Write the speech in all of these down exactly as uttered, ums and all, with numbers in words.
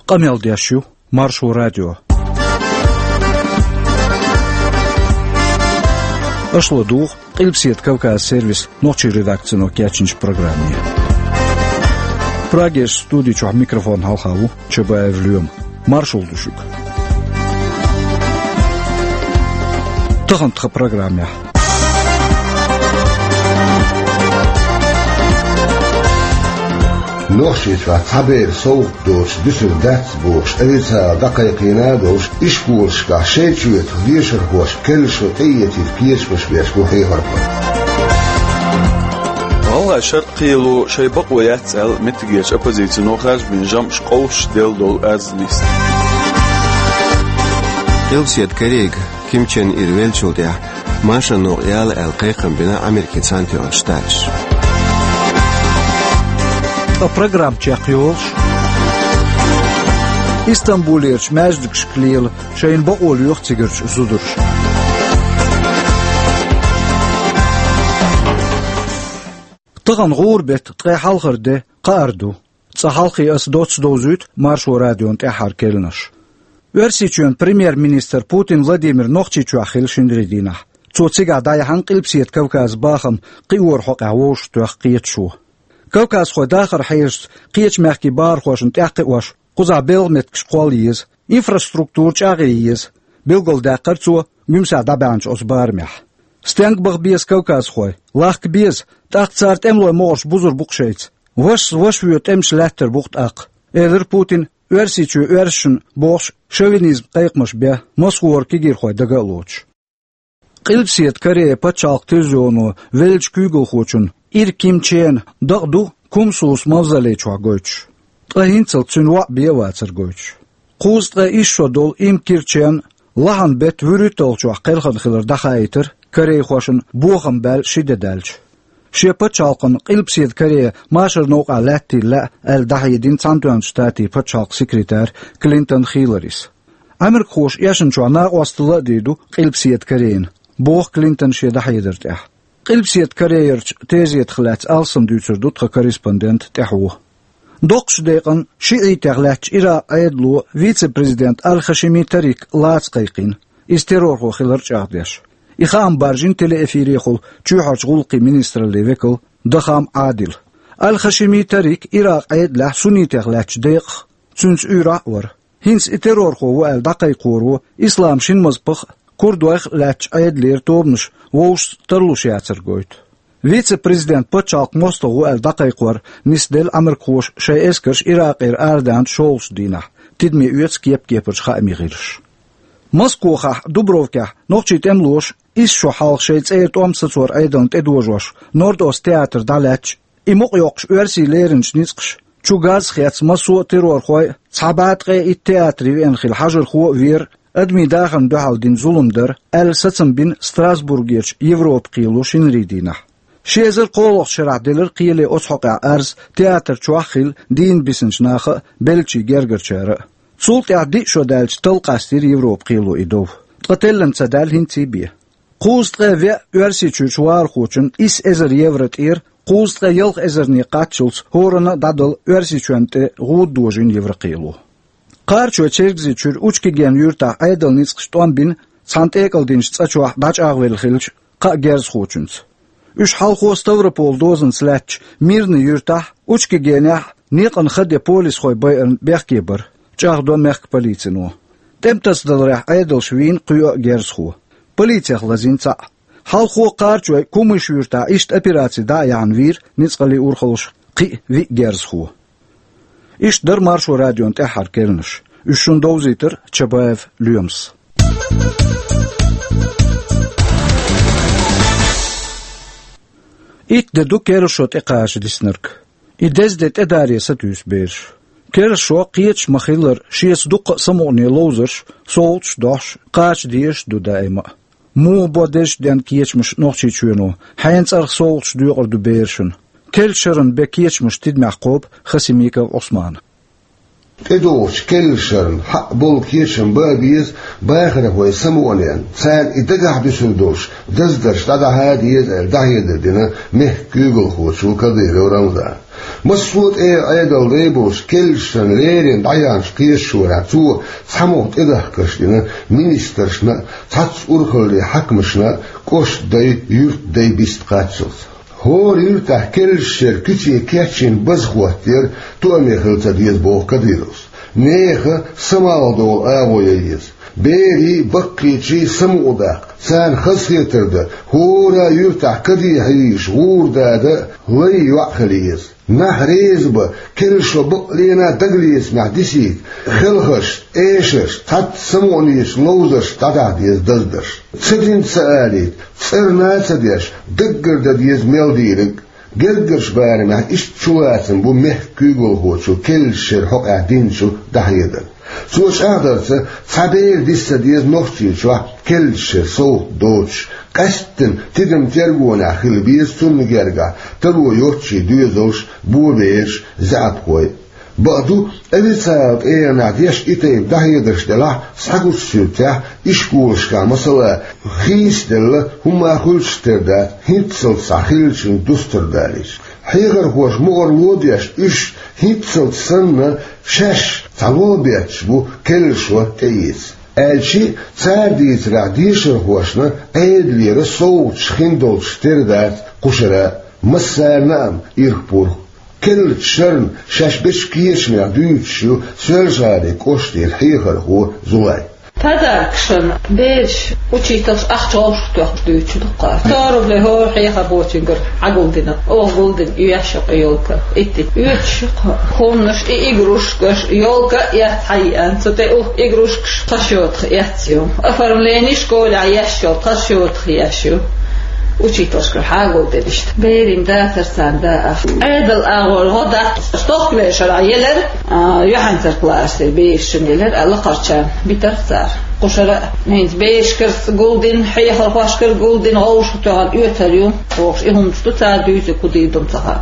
Къамел деш ю Маршо радио. Аша ладугӀу Къилбаседа Кавказ сервисан нохчийн редакцино кечйинчу программе. Прагерчу студи чохь микрофонна хьалха ву Чабаев Лоьма. Маршалла ду шуьга. Тахана тхан программехь. Нохчийчохь цхьаберан совгӀат доцуш дуьсур дац бохуш, официально дӀакхайкхийна а долуш, ишколашкахь шайн чоьтах дешархошна керла шо тӀеэцийта кечамаш беш бу хьехархой. ГӀалгӀайн шаръ кхело шайн бакъо яц аьлла, меттигерчу оппозицино харжа бина жамӀаш къовсуш делла долу арз нисна. Къилбаседа Корейга Ким Чен Ир веллачул тӀаьхьа машаран новкъа яла аьлла кхайкхам бина Америкин Цхьаьнатоьхначу Штаташа. Ткъа программа чекхйолуш, Истамбулерчу маьждигашка лела шайна бакъо лоьху цигарчу зударша. Тахана гӀуран беттан ткъе хьалхара де, кхаар ду. Цкъа хьалхе аса доцца довзуьйту Маршо радион тӀаьххьара керланаш. Оьрсийчоьнан премьер-министр Путин Владимир Нохчийчохь хилла шинарин дийнахь. Цо цигахь дӀаяьхьна Къилбаседа Кавказан бахам кхиоран хьокъехь вовшахтоьхна кхеташо. Кавказхойн дахаран хьежаца кхечу мехкийн бахархошна тӀекхиош, кхузахь белхан меттигаш кхолла еза, инфраструктура чӀагӀъян еза, билгалдаьккхира цо Гуьмсехь дӀабаьхьначу оцу барамехь. Стенга баха беза кавказхой? Лахка беза, тӀаккха цара тӀемалойн могӀарш бузур бу-кх шайца. Вашас ваша воь тӀемаш лаьттар бу-кх тӀаккха, элира Путина, Оьрсийчоь оьрсашна бохуш, шовинизман кхайкхамаш бен, Москвара кегийрхой дага а лоцуш. Къилбаседа Корея пачхьалкхан телевизионо веллачу куьйгалхочун Ир Ким Чена дакъа ду Кумсус мавзолей чохь гойтуш. Ткъа хӀинццалц цуьнан воӀ бен а вацар гойтуш. Кхузткъе исс шо долу Им Кир Чен лахьанан беттан вуьрхӀитталгӀачохь кхелхина хилар дӀахаийтира корейхошна бохам баьлла ши де даьлча. Шен пачхьалкхана Къилбаседа Корея машаран новкъахь лаьттийла лаьа аьлла дӀахьедина Цхьаьнатоьхначу Штатийн пачхьалкхан секретара Клинтон Хилларис. Америкахоша эшначохь накъосталла а дийр ду Къилбаседа Корейна, боху Клинтона шен дӀахьедар тӀехь. Къилбаседа Корейрчу тезетах лаьцна алсам дуьйцур ду тхан корреспондент тӀаьхьо. Доккхачу декъана шиӀитех лаьттачу Иракъан Ӏедало вице-президент Аль-Хашими Тарик лаца кхайкхина, иза террорхо хилар чӀагӀдеш. И хаам баржийна телеэфирехула чоьхьарчу гӀуллакхийн министраллин векал Дахам Ӏадила. Аль-Хашими Тарик Иракъан Ӏедалехь суннитех лаьттачу декъах, цуьнца уьйрахь а вара. ХӀинца и террорхо ву аьлла дӀакхайкхоро ислам шина мазхӀабах а, курдойх а лаьттачу Ӏедалера тобанаш вовшашца тарлуш яцар гойту. Вице-президент пачхьалкхан мостагӀа ву аьлла дӀакхайкхор нисделла америкахоша шайн эскарш Иракъера арадаьхначу шолгӀачу дийнахь, тидаме оьцу кеп-кепарчу хаамийн гӀирсаша. Москохахь Дубровкехь нохчийн тӀемалоша исс шо хьалха шайн цӀера тӀом сацоран Ӏедална тӀедожош Норд-Ост театр дӀалаьцча, и мукъайоккхуш оьрсийн леринчу ницкъаша чу газ а хецна, массо а террорхой а, цхьа бӀе ткъе итт театре веана хилла хьажархо а вера, адамийн дахарна дуьхьал дина зулам дара аьлла сацам бина Страсбургерчу Европан кхело шинарин дийнахь. Ши эзар кхоалгӀачу шарахь делира кхеле оцу хьокъехь арз театр чохь а хилла дийна бисинчу наха а, беллачийн гергарчара а. Цул тӀаьхьа диъ шо даьлча талла къастийра Европан кхело и дов. Ткъа теллина ца даьлла хӀинца а бен. Кхузткъе веа Оьрсийчуьрчу вахархочунна исс эзар евро тӀера кхузткъе ялх эзарне кхаччалц хӀоранна а дӀадала Оьрсийчоьнна тӀе гӀуда дожийна Еврокхело. Кхарачой Чергазийчуьра Учкиген юьртахь Ӏедалан ницкъаша тӀом бина цхьана тӀекӀалдинчу цӀа чохь дӀачӀагӀвелла хиллачу кхаа герзахочуьнца. Уьш хьалхо Ставрополан дозанца лаьттачу Мирный юьртахь, Учкигенехь некъан ха де полисхой байарна бехке бара, чӀагӀдо мехкан полицино. ТӀематасадаларехь Ӏедалша вийна кхоъ а герзахо. Полицех лазийна цхьаъ. Хьалхо кхарачой Кумыш юьртахь иштта операци дӀа а яьхьна вийра ницкъаллин урхаллаша кхин а виъ герзахо. Иштта дара Маршо радион тӀаьххьара керланаш. Уьш шуна довзийтира Чабаев Лоьмас. Итт де ду керла шо тӀекхача диснарг. И деза де тӀедаре сатуьйсу бераш. Керла шо кхеташ ма-хиллара, шеца дуккха а самукъане ловзарш, совгӀаташ а дохьуш, кхача дезаш а ду даима а. Муха бо дезачу денна кечамаш Нохчийчоьно, хьенан цӀарах совгӀаташ доькъур ду берашна? Керла шарна бен кечамаш тидамехь кхобу Хасимиков Ӏусмана. ТӀедогӀучу керла шарна хьакъ болу кечам бан а беза бахархойн самукъаненна, царна и дагахь дуьсур долуш даздарш дӀадахьа а деза аьлла дӀахьедар дина мехкан куьйгалхочо Кадыров Рамзана. Массо а тӀера Ӏедал дай болчу керлачу шеран леррина дӀаяьхьначу кхеташонехь цо цхьа мугӀ тӀедахкарш дина министрашна а, цхьацца урхаллин хьаькамашна а, кӀоштан дай, юьртан дай бист кхаччалц. ХӀора юьртахь керлачу шеран куьце кечйина база хӀоттаяра, тоаме хила ца деза, боху Кадыровс. Нехан самукъадолу агӀо ян еза. Берийн, баккхийчийн самукъадаккха, царна хазахетар дан, хӀора юьртахь кадехьа йийш гӀура дада а, лай йоӀ хила еза. Нах реза бан, керлачо бакъ лена дагалецамехь дисийта, хелхаршна, эшаршна, цхьацца самукъанечу ловзаршна дӀадахьа деза даздарш. Ца дина ца алийта, цӀарна а ца деш, даггара дан деза мел дийриг. Гергарчу барамехь иштта чулацам бу мехкан куьйгалхочо керлачу шеран хьокъехь динчу дӀахьедаран. Цо чӀагӀдарца, цхьа бер диса ца деза Нохчийчохь керлачу шеран совгӀат доцуш, къаьсттина тидам тергонехь хила беза цунна гергахь таро йоцчийн доьзалш, бобераш, заьӀапхой. Бакъду, официалан тӀегӀанехь деш и тайпа дӀахьедарш делахь, схьагучу суьртехь ишколашкахь, масала, хийцаделла, хӀумма хуьлуш тера дац, хӀинццалц схьа хиллачуьнга дустар далийча. Хьехархоша мукъарло а деш, уьш хӀинццалц санна шаьш цхьа ло бетташ бу керлачо тӀеэца. Аьлча а, цара дийцарехь, дешархошна Ӏедалера совгӀаташ хин долуш тера дац кхушара а, массарна а ирх-пурх. Керлачу шарна шаьш бечу кечамех дуьйцуш ю Соьлжа-ГӀалин кӀоштара хьехархо Зулай. Подаркашна бераш, учительш ахча вовшахтоьхна дуьйцуш ду-кх. Сто рублей хӀора хьехархочуьнгара Ӏагулдина, оха гулдина оьшу-кх и ёлка. Итт-итт оьцуш ю-кх хӀуманаш, и игрушкаш, ёлка а эцна хьаеана. Цу тӀе укх игрушкаш тхан счётах эцна ю. Оформление школехь еш йолу тхан счётах еш ю. Учительшкара хьагулдина иштта. Берийн дацара царна даа. Ӏедалан агӀор гӀо дац. Стохкавер шарахь елира, а, юьхьанцара классера берашна елира, а, лакхарчарна битира цара. Кхушара а, хӀинца берашкара гулдина, хьехархошкара гулдина, вовшахтоьхна оьцур ю. Вовшах и хӀуманаш ду цара дуьйцург, кху дийр ду-м ца хаьа.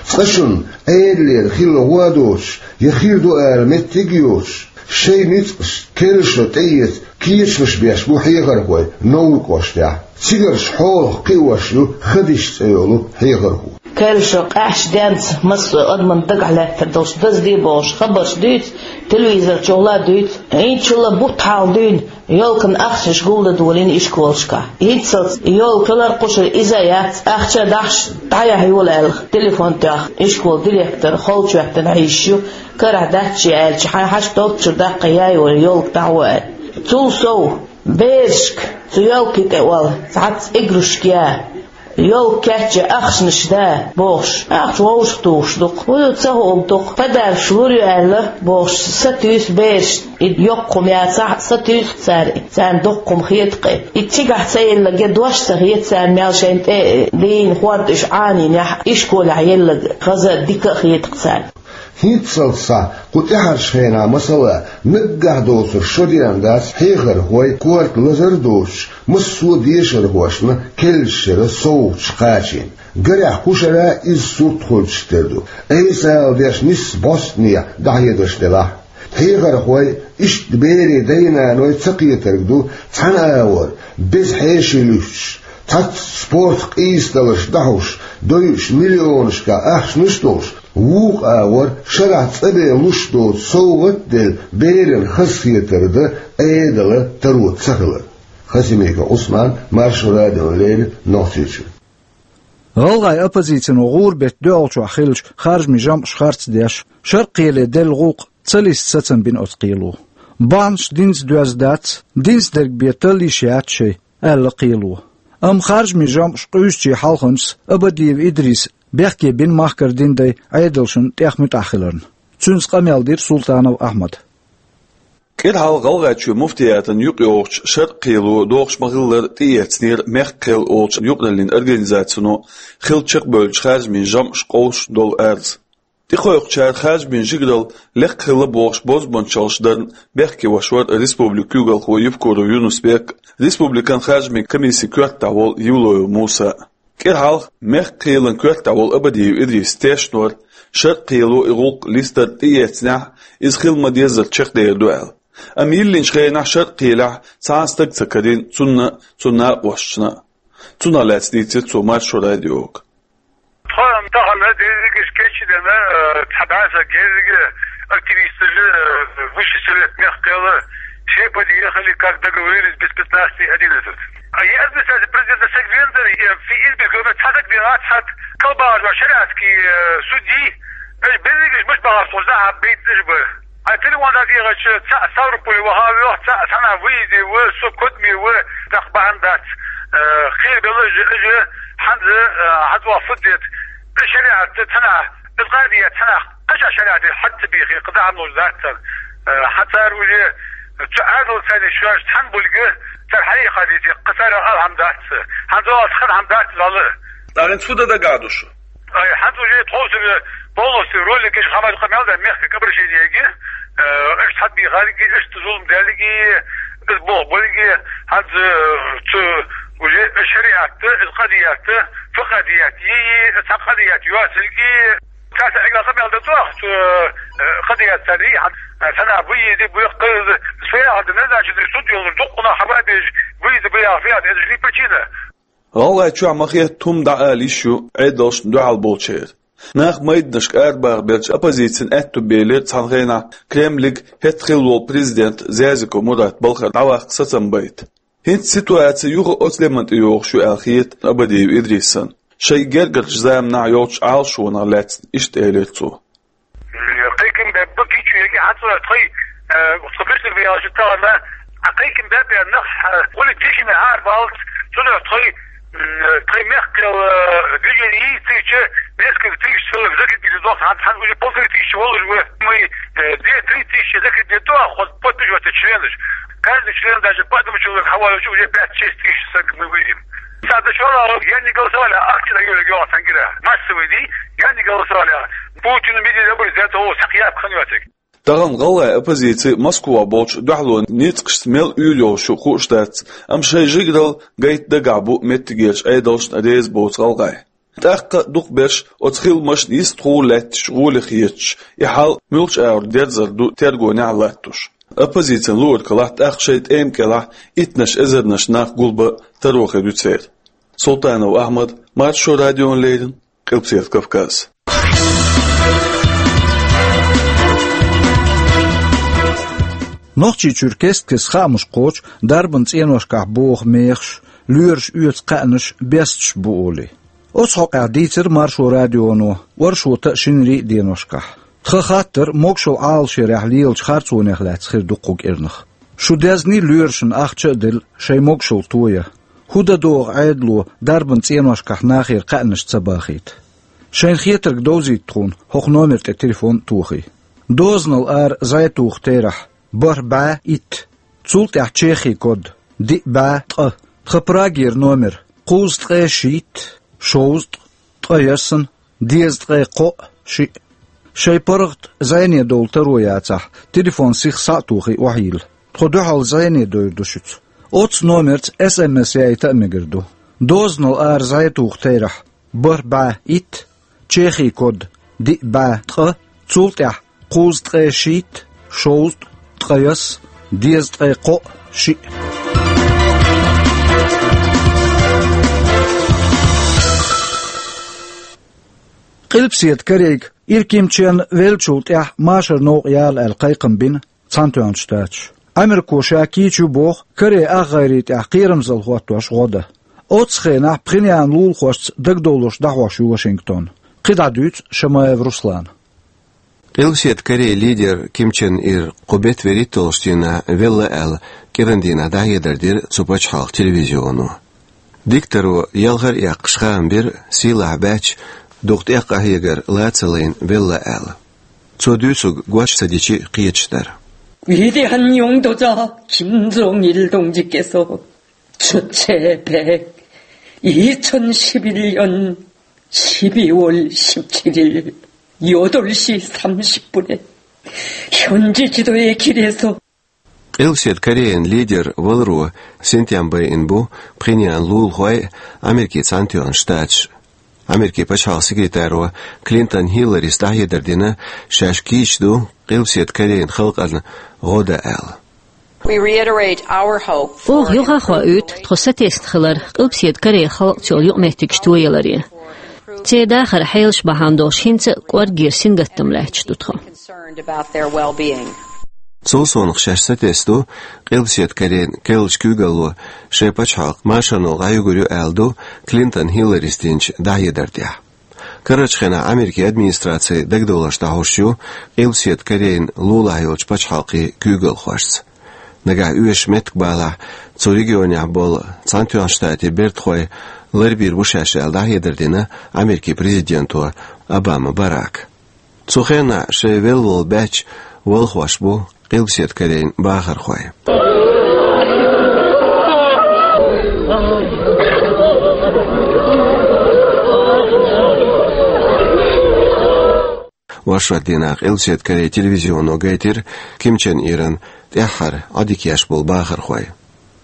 Цкъа шуна Ӏедалера хилла гӀо доцуш, я хир ду ала меттиг а йоцуш, шайн ницкъашца керлачо тӀеэца кечамаш беш бу хьехархой Невран кӀоштехь. Цигарчу хьолах кхиош ю Хадиша цӀе йолу хьехархо. Керлачо къаьхьачу денца массо а адамна дагахь лаьттар долуш дазде а бохуш, хабарш дуьйцу, телевизор чухула а дуьйцу. ХӀинцачул а бутт хьалха дуьйна, ёлкана ахчанаш гулдан долийна ишколашкахь. ХӀинццалц ёлка хилар кхушара иза а яц, ахча а дахьаш дӀаяхьа йолу аьлла, телефон тоьхна, ишколан директор холчахӀоьттина хьийзаш ю, карахь дац шен аьлча, хьайн хьашт долччуьра даккха яй вай ёлка дӀахьо аьлла. Цул сов, берашка цу ёлкийн тӀе олу цхьацца игрушка я, ёлка кечъян ахчанаш да бохуш, ахча вовшахтухуш ду-кх. Вуй, ца хуур ду-кх, подаркаш лур ю аьлла бохуш, сатуьйсу бераш. И йоккха хӀума яцахь а, сатуьйсу-кх цара, царна дуккха хӀума хета-кх. И цигахь ца елларг, я дош ца хета царна, мел шайна тӀе дийна хӀорд уьш Ӏанийнехь, ишколехь елларг хаза а, дика а хета-кх царна. ХӀинццалц схьа кху тӀаьхьарчу хенахь, масала, наггахь доцург шо деана дац хьехархой корта лазар а доцуш, массо а дешархошна керлачу шеран совгӀаташ кхачийна. Гарехь, кхушара иза сурт хуьлуш тера ду, айса ала деш, нийсса бӀостанехьа дӀахьедарш делахь. Хьехархой, иштта берийн дай-наной ца кхетарг ду цхьана агӀор, беза хьеший луьстуш, цхьацца спортан къийсадаларш дӀахьуш, дойуш миллионашкахь ахчанаш а долуш, вукху агӀор шарахь цӀа бен луш доцу совгӀат а делла, берана хазахетар дан Ӏедалан таро ца хилар. Хасимиков Ӏусман, Маршо радиона леррина, Нохчийчуьра. ГӀалгӀайн оппозицино гӀуран беттан дуьхьалчохь хиллачу харжамийн жамӀаша харц деш, Шаркхеле делла гӀуллакх ца листа сацам бина оцу кхело. Бахьанаш динца доьзна дац, динца дерг бен талла йиш яц шайн, аьлла кхело. Амма харжамийн жамӀаш къуьйсучийн хьалханчас Абадиев Идриса бехке бина махкара дин дай Ӏедалшна тӀех муьтӀахь хиларна. Цуьнца къамел дира Султанов Ахьмада. КӀира хьалха ГӀалгӀайчоьнан муфтиятана юкъайогӀучу Шаркхело дохуш ма-хиллара тӀеэцнера «Мехкан кхел» олучу юкъараллин организацино хилла чекхбевллачу харжамийн жамӀаша къовсуш долу арз. ТӀекхойкхучара харжамийн жигаралла лекха хилла бохуш бозбуунчаллаш дарна бехке веш вара республикан куьйгалхо Евкуров Юнус-Бек а, республикан харжамийн комиссин коьртахь волу Евлоев Муса а. КӀира хьалха Мехкан кхелан коьртахь волу Абадиев Идриса тешна вара, Шаркхело и гӀуллакх листар тӀеэцнехь, иза хила ма-деззара чекхдер ду аьлла. Амма йиллинчу хенахь Шаркхелехь цхьа а стаг ца карийна цунна а, цуьнан накъосташна а. Цунах лаьцна дийцира цо Маршо радиога. Тхо-м тахана дерригаш Эчи дена, э, цхьа бӀаьса герзига активисташ, э, Высший Совет мехкела, все подъехали, как договорились, без пятнадцати одиннадцать. А я администрация президента Сегвендер, и фи избиркоме цхьа дагадеха цхьа калбагӀаш шариатский, э, судьи, эш берригаш муш багӀаш тхо захьа бейт эш бар. А телефон дагадеха цхьа Ставрополе ваха вех, цхьа санна выезде ва, со котме ва, тах бахьан дац, э, хир белла жи, жи, хьанза, э, хьанза ва фуддет, шариат цхьана, из къадият цхьана, кхаша шариат хьатта бихи, къада хьануш дац цар, э, хьацар уже, цу Ӏадал цайни шоаш цхьан бульга, цар хьайи хадити, къасара алхьам дац, хьанза ва схан хьам дац зала. Дарин цуда дагадуш. Ай, хьанз уже тховсар полностью ролик иш хамар къамел да мехка кабршиниеги, э, иш хьад бихариги, иш зулм далиги, иш бох болиги, хьанз, э, цу уже шариатта, иш къадиятта, фу къадият, и, и, ца къадият юасилги, цаса эгла къамел да дуах, цу, э, къадият цари, хьанз, э, сана буйиди, буйх къыз, сфея хьанз, не значит, суд ёлур, дукъуна хьаба беж, буйиди, буя фея, это же не причина. ГӀалгӀай чохь ма хетта хӀума дӀаала йиш ю Ӏедалшна дуьхьал болчеран. Нах майданашка арабаха белча оппозицин аьтту белира цхьана хенахь Кремлиг хӀетта хилла волу президент Зязиков Мурат балхара дӀаваккха сацам байта. ХӀинца ситуаци юха оцу леман тӀе йогӀуш ю аьлла хета Абадиев Идрисан, шайн гергарчу заманахь йолчу Ӏалашонах лаьцна иштта элира цо. Кхайкам беппа кийчу яги хьан цунах тхай, э, тхо бисар бияла шу тахана, а кхайкам беппа нах, э, гули тишина хьар балц, цунах тхай, м, тхай мехкал, э, движение есть, тысяча, несколько тысяч человек закрепили, дох, хьан, хьан уже полторы тысячи волуш вы. Мы, э, две-три тысячи закрепили, дох, вот подписываться члены. Каждый член, даже по одному человеку, хьавалучу уже пять-шесть тысяч мы выйдем. Сада шола, я не голосовали, а акция на Юле Георгиевна Сангира. Массовый день, я не голосовали. Путин видел, я бы взять его, сахьяб ханётик. Тахана гӀалгӀай оппозици Москва болчу дуьхьало ницкъашца мел уьйр йолуш ю хууш дац, амма шайн жигарал гайта дагахь бу меттигерчу Ӏедалшна реза боцу гӀалгӀай. ТӀаккха а дукхахберш оцу хиламашна йистхула лаьтташ гӀоле хеташ, и хьал муьлхачу агӀор дерзар ду тергонехь латтош. Оппозицин луург хилахь, тӀаккха шайн тӀема кӀелахь иттанаш эзарнаш нах гулбан таро хир ю церан. Султанов Ахьмад, Маршо радиона леррина, Къилбаседа Кавказ. Нохчийчуьра кест-кеста хаамаш кхочу дарбан цӀеношкахь боху мехаш, лоьраша оьцу кхаьънаш бесташ бу олий. Оцу хьокъехь дийцира Маршо радионо оршота а, шинарий а деношкахь. Тхан хаттар могушалла Ӏалашъярехь лелачу харцонех лаьцна хир ду кху кӀирнах. Шу дезний лоьрашна ахча а делла, шайн могушалла тоян? ХӀун дан догӀу Ӏедало дарбан цӀеношкахь нахера кхаьънаш ца бахийта? Шайна хетарг довзийта тхуна, хӀокху номер тӀе телефон а тохий. Дозанал ара зӀе туху терахь, бархӀ бӀе итт. Цул тӀаьхьа Чехин код, диъ бӀе ткъа. Тхан Прагера номер, кхузткъе шийтта, шовзткъа, ткъаяссна, дезткъе кхоъ, шиъ. Шайн паргӀат зӀене довла таро яцахь, телефон сиха схьа а тухий охьайилла. Тхо дуьхьал зӀене довр ду шуьца. Оццу номерца эс эм эс яйта а мегар ду. Дозанал ара зӀе туху терахь, бархӀ бӀе итт, Чехин код, диъ бӀе ткъа, цул тӀаьхьа кхузткъе шийтта, шовзткъа, ткъаяссна, дезткъе кхоъ, шиъ. Къилбаседа Корейга ира Ким Чен веллачул тӀаьхьа машар новкъа яла аьлла кхайкхам бина Цхьаьнатоьхначу Штаташа. Америко ша кийча ю боху Корей ах гӀайре тӀехь кхерамзалла хӀоттош гӀо дан. Оццу хенахь Пхеньян лулахошца дагадовлуш дӀахьош ю Вашингтон. КхидӀа дуьйцу Шамаев Руслана. Къилбаседа Корей лидер Ким Чен Ир кху беттан вуьрхӀитталгӀачу дийнахь велла аьлла, кӀиран дийнахь дӀахьедар дира цу пачхьалкхан телевизионо. Дикторо ялхара а эккхаш хаам бира, сийлахь баьчча, дукха тӀекхахьегар лаца лайна велла аьлла. Цо дуьйцург гоча ца дичи кхеташ дара. 偉大한 영도자 김정일 동지께서 주체백 이천십일 년 십이월 십칠일 여덟 시 삼십 분에 현지 지도의 길에서 Къилбаседа Кореян лидер валаро синтем байина бу Пхеньян лулахой а, Америкин Цхьаьнатоьхна Штаташ а. Америкин пачхьалкхан секретаро Клинтон Хилларис дӀахьедар дина, шаьш кийча ду Къилбаседа Корейн халкъана гӀо дан аьлла. We reiterate our hope for Оха юха а хоуьйту тхо сатесна хилар Къилбаседа Корейн халкъаца йолу юкъаметтигаш тояларе. Церан дахаран хьелаш бахьана долуш хӀинца а кӀоргера сингаттам лаьтташ ду тхо. Цул совнаха шаьш сатесна ду Къилбаседа Корейн керлачу куьйгалло шайн пачхьалкх машарно дӀаюьгур ю аьлла ду Клинтон Хилларис динчу дӀахьедар тӀехь. Карарчу хенахь Америкин администрацин дагадовларш дӀахьош ю Къилбаседа Корейн лулахь йолчу пачхьалкхийн куьйгалхошца. Нагахь оьшуш меттиг балахь, цу регионехь болу Цхьаьнатоьхначу Штатийн бертахой ларбийр бу шаьш аьлла дӀахьедар дина Америкин президенто Обама Барака. Цу хенахь шайн велла волу баьчча валхош бу Къилбаседа Корейн бахархой. Оршот дийнахь Къилбаседа Корейн телевизионо гайтира Ким Чен Иран тӀаьххьара Ӏодика еш болу бахархой.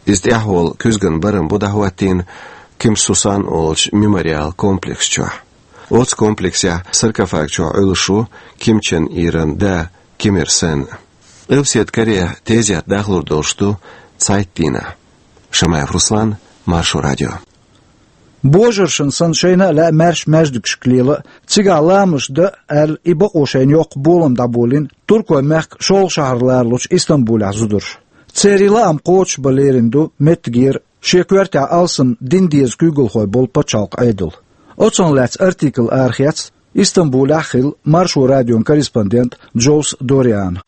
Иза тӀаьхьа волу куьзганан барам бу дӀахӀоттийна Ким Сусан олучу мемориал комплекс чохь. Оцу комплексехь саркофаг чохь Ӏуьллуш ву Ким Чен Иран да Ким Ир Сен. Къилбаседа Корейхь тезет дахлур долуш ду цхьайтта дийнахь. Шамаев Руслан, Маршо радио. Божаршна санна шайна а лаьа маьрша маьждигашка лела а, цигахь ламазаш дан а аьлла, и бакъо шайна йоккха болам дӀаболийна туркойн мехкан шолгӀа шахьар лоручу Истамбулехь зударша. Церан лаам кхочушбан лерина ду меттигера шен коьртехь алсам дин деза куьйгалхой болу пачхьалкхан Ӏедал. Оцунах лаьцна артикл арахецна Истамбулехь хилла Маршо радион корреспондент Джоус Дориана.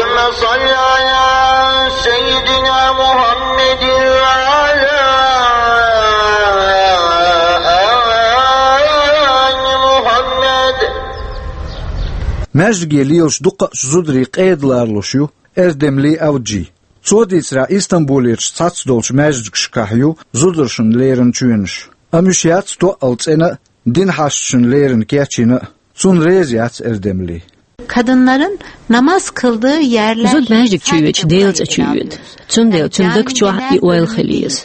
اللهم صل على سيدنا محمد وعلى آل محمد. Маьждиге лелаш дукхачу зударийн къеда лоруш ю Эрдемли Авджи. Цо дийцарехь, Истамбулерчу цхьацца долчу маьждигашкахь ю зударшна лерина чоьнаш. Амма уьш яц тоъал цӀена а, дин хьашташна лерина кечйина а. Цунна реза яц Эрдемли. Kadınların namaz kıldığı yerler Зуда маьждиг чу йоьдуш Делан цӀа чу йоьду. Цундела цуьнан даг чохь и ойла хила еза.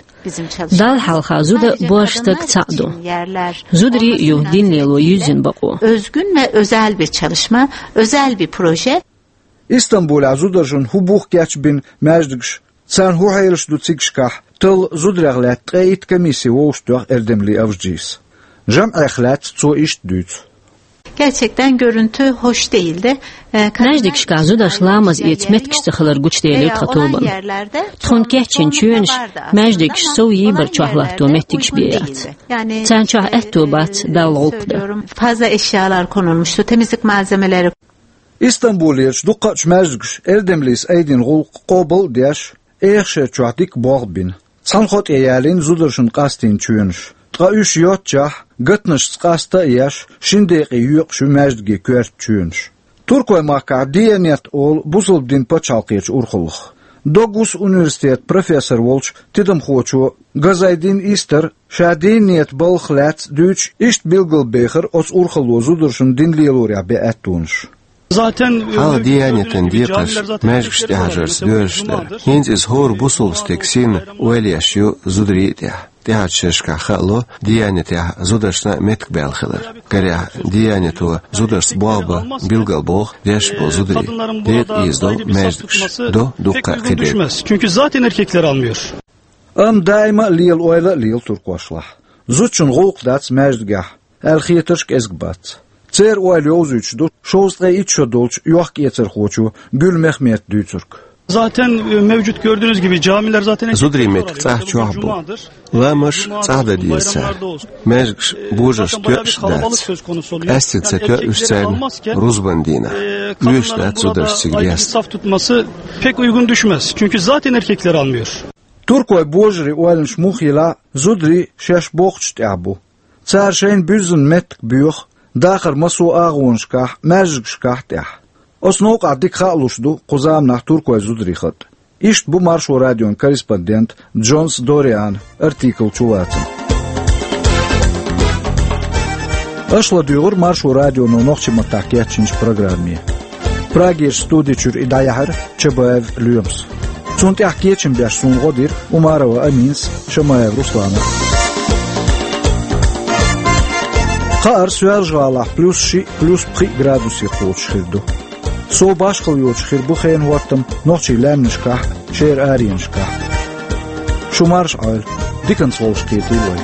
Далла хьалха зуда божарийн стаг цхьаъ ду. Зударийн а ю дин лело юьззина бакъо. Özgün ve özel bir çalışma, özel bir proje. Истамбулехь зударшна хӀун бух кечбина маьждигаш, царна хӀун хьелаш ду цигашкахь, талла зударех лаьцна ткъе итт комисси вовшахтоьхна Эрдемли Авджис. ЖамӀех лаьцна цо иштта дуьйцу. Gerçekten görüntü hoş değildi. Маьждигашкахь зударша ламаз эца меттигаш ца хилар гучуделира тхан тобанна. Тхуна кечйина чоьнаш маьждигаш сов йийбар чохь латто меттигаш бен яц. Царна чохь аьтто бац Далла гӀуллакх дан. Fazla eşyalar konulmuştu, temizlik malzemeleri. Истамбулерчу дукхачу маьждигаша Эрдемлис айдина гӀуллакх къобал а деш, эха шер чохь дика болх а бина. Цхьана хӀоттаре ялийна зударшна къастийна чоьнаш. Ткъа уьш йоццушехь, гатанашца къаста а еш, шина декъе йоькъуш ю маьждиге коьрта чоьнаш. Туркойн махкахь Диянет олу бусалба дин пачхьалкхерчу урхаллах. Догус университетан профессор волчу тидамхочо Газайдин Истара ша Диянетан балхах лаьцна дуьйцуш иштта билгалбехира оцу урхалло зударшна дин лелорехь бен аьттонаш. Хьалха Диянетан декхарш маьждигаш тӀехьажарца доьзуш дара. ХӀинца иза хӀора бусалба стеган синна ойла еш ю зударийн а тӀехь. ТӀехьарчу шерашкахь хаало, Диянетехь зударшна а меттиг баьлла хилар. Карахь Диянето зударшца болх бан билгалбоху дешна болу зударий. ДегӀа ийзадо маьждигаш, до дуккха а кхидерг. Çünkü zaten erkekler almıyor. Амма даима а лела ойла а лела туркошлахь. Зудчун гӀуллакх дац маьждигехь, аьлла хетарш кӀезиг бац. Церан ойла йовзуьйтуш ду шовзткъе итт шо долчу йохк-эцархочо Гуьл Мехмета дуьйцург. Zaten e, mevcut gördüğünüz gibi camiler zaten Зударийн меттиг цӀахь чохь бу. Ламазаш цӀахь дан деза цара. Маьждигаш божарша тоьуш а дац. Къаьстина ца тоьу уьш царна рузбан дийнахь. Оьшуш дац зударшна цига десна. Saf tutması pek uygun düşmez. Çünkü zaten erkekler almıyor. Туркойн божарийн ойланаш муха йилахь а, зударий шаьш бохучу тӀехь бу. Цара шайна буьззина меттиг боьху дахаран массо а агӀонашкахь, маьждигашкахь а тӀехь. Оцу новкъахь дика хаалуш ду кху заманахь туркойн зударийн хатӀ. Иштта бу Маршо радион корреспондент Джонс Дориана артикл чулацам. Аша ладуьйгӀира Маршо радионо нохчийн маттахь кечйинчу программе. Прагерчу студи чуьра и дӀаяьхьира Чабаев Лоьмас. Цунна тӀехь кечам беш суна гӀо дира Умарова Аминас, Шамаев Руслана. Кхаара Соьлжа-ГӀалахь плюс шиъ, плюс пхиъ градусе кхочуш хир ду. Сов башхалла йоцуш хир бу хенан хӀоттам нохчийн лаьмнашкахь а, шера аренашкахь а. Шу марша Ӏойла, диканца вовшахкхетийла вай.